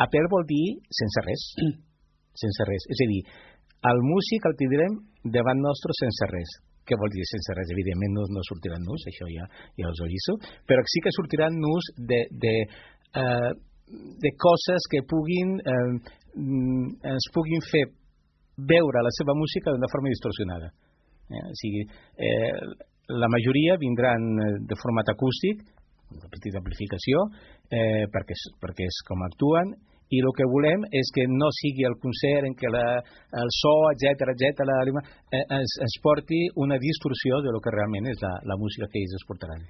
A peu vol dir sense res. Sense res. És a dir, el músic el tindrem davant nostre sense res. Què vol dir sense res? Evidentment no sortiran nus, això ja us ho aviso, però sí que sortiran nus de coses que ens puguin fer veure la seva música d'una forma distorsionada. O sigui, la majoria vindran de format acústic, una petita amplificació, perquè és com actuen, i el que volem és que no sigui el concert en què el so, etc ens porti una distorsió de lo que realment és la música que ells es portaran.